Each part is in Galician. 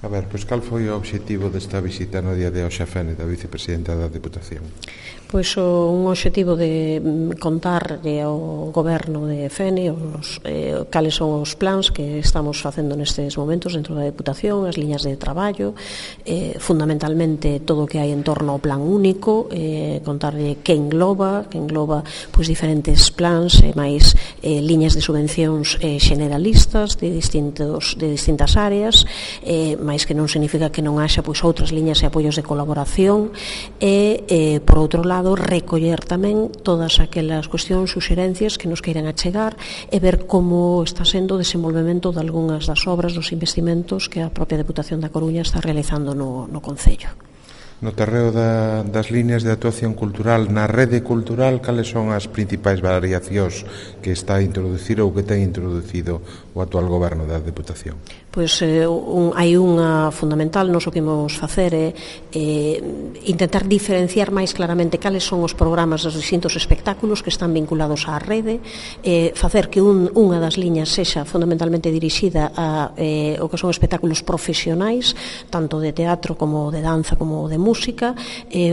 A ver, pois cal foi o obxectivo desta visita no día de hoxe a Fene da vicepresidenta da Deputación? Pois un obxectivo de contar ao goberno de Fene cales son os plans que estamos facendo nestes momentos dentro da Deputación, as liñas de traballo, fundamentalmente todo o que hai en torno ao plan único, contarlle que engloba pois diferentes plans e máis liñas de subvencións generalistas de distintas áreas, máis que non significa que non haxa pois outras liñas e apoios de colaboración e por outro lado recoller tamén todas aquelas cuestións, suxerencias que nos queiran achegar e ver como está sendo o desenvolvemento de algunhas das obras, dos investimentos que a propia Deputación da Coruña está realizando no Concello. No terreo das líneas de actuación cultural, na rede cultural, cales son as principais variacións que está a introducir ou que ten introducido o actual goberno da Deputación? Pois hai unha fundamental, nos o que imos facer é intentar diferenciar máis claramente cales son os programas dos distintos espectáculos que están vinculados á rede, facer que unha das liñas sexa fundamentalmente dirixida a o que son espectáculos profesionais, tanto de teatro como de danza como de música,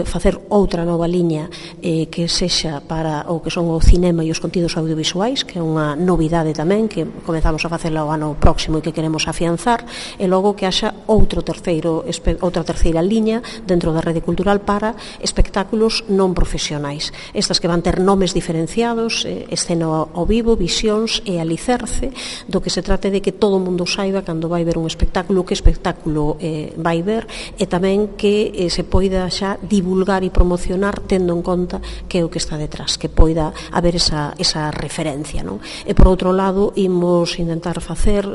facer outra nova liña que sexa para o que son o cinema e os contidos audiovisuais, que é unha novidade tamén que comezamos a facela o ano próximo e que queremos afianzar, e logo que haxa outra terceira liña dentro da rede cultural para espectáculos non profesionais, estas que van ter nomes diferenciados, escena ao vivo, visións e alicerce, do que se trate de que todo o mundo saiba cando vai ver un espectáculo que espectáculo vai ver, e tamén que se poida xa divulgar e promocionar tendo en conta que é o que está detrás, que poida haber esa referencia, non? E por outro lado imos intentar facer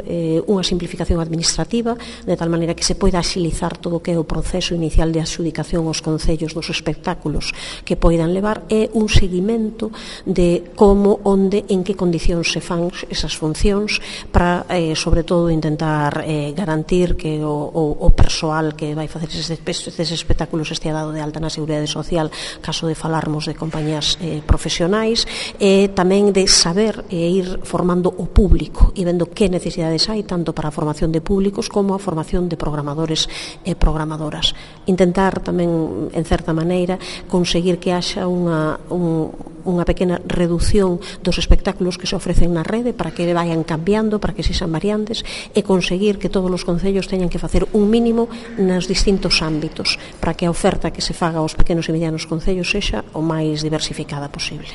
unha simplificación administrativa, de tal maneira que se poida axilizar todo o que é o proceso inicial de adxudicación aos concellos dos espectáculos que poidan levar, e un seguimento de como, onde, en que condicións se fan esas funcións para, sobre todo, intentar garantir que o persoal que vai facer estes espectáculos estea dado de alta na Seguridade Social, caso de falarmos de compañías profesionais, e tamén de saber e ir formando o público e vendo que necesidades hai, tanto para a formación de públicos como a formación de programadores e programadoras. Intentar tamén, en certa maneira, conseguir que haxa unha pequena reducción dos espectáculos que se ofrecen na rede para que vayan cambiando, para que sexan variantes, e conseguir que todos os concellos teñan que facer un mínimo nos distintos ámbitos para que a oferta que se faga aos pequenos e medianos concellos sexa o máis diversificada posible.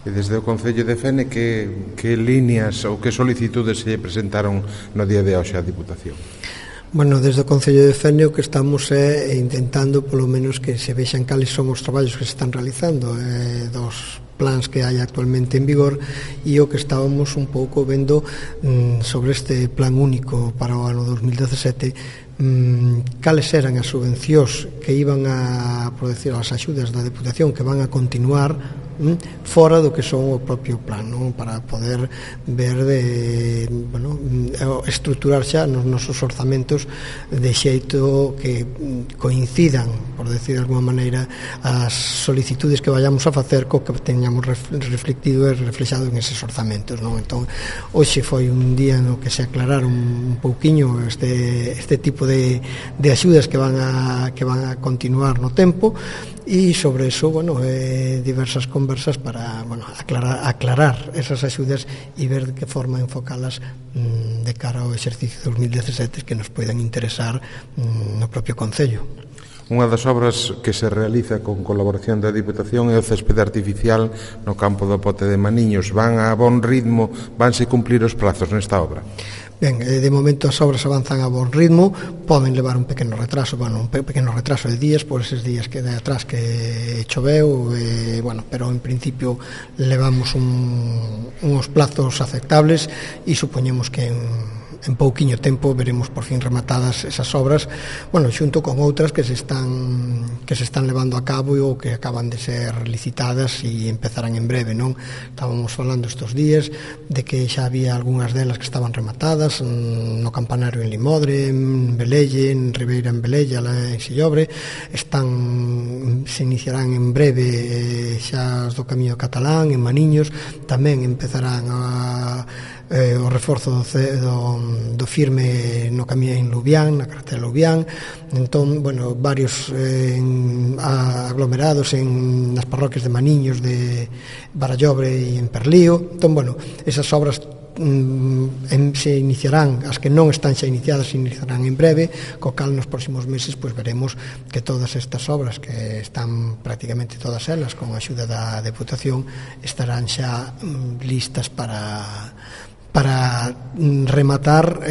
E desde o Concello de Fene, que líneas ou que solicitudes se presentaron no día de hoxe á Diputación? Bueno, desde o Concello de Fene o que estamos é intentando polo menos que se vexan cales son os traballos que se están realizando dos plans que hai actualmente en vigor, e o que estábamos un pouco vendo sobre este plan único para o ano 2017, cales eran as subvencións que iban a, por decir, as axudas da Deputación que van a continuar fora do que son o propio plan, non? Para poder ver estruturar xa nos nosos orzamentos de xeito que coincidan, por decir de alguma maneira, as solicitudes que vayamos a facer co que teñamos reflectido e reflexado en eses orzamentos, non? Entón, hoxe foi un día no que se aclararon un pouquiño este tipo de axudas que van a continuar no tempo, e sobre eso, diversas conversas para aclarar esas axudas e ver de que forma enfocalas de cara ao exercicio 2017 que nos poidan interesar no propio Concello. Unha das obras que se realiza con colaboración da Diputación é o céspede artificial no campo do Pote de Maniños. Van a bon ritmo, vanse cumplir os prazos nesta obra? Ben, de momento as obras avanzan a bon ritmo, poden levar un pequeno retraso, de días por eses días que de atrás que choveu, pero en principio levamos uns plazos aceptables e supoñemos que en pouquiño tempo veremos por fin rematadas esas obras, xunto con outras que se están levando a cabo ou que acaban de ser licitadas e empezarán en breve, non? Estábamos falando estes días de que xa había algunhas delas que estaban rematadas no Campanario en Limodre, en Velelle, en Ribeira en Velella, en Sillobre, se iniciarán en breve xa as do Camiño Catalán, en Maniños, tamén empezarán o reforzo do firme no camiño en Lubián, na carretera Lubián. Entón, bueno, varios aglomerados nas parroquias de Maniños, de Barallobre e en Perlío. Entón, bueno, esas obras se iniciarán, as que non están xa iniciadas se iniciarán en breve, co cal nos próximos meses pois veremos que todas estas obras, que están prácticamente todas elas con a axuda da Deputación, estarán xa listas para rematar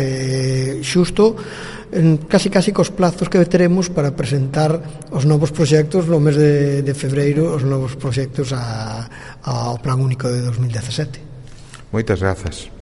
xusto casi cos plazos que teremos para presentar os novos proxectos no mes de febreiro, os novos proxectos ao Plan Único de 2017. Moitas grazas.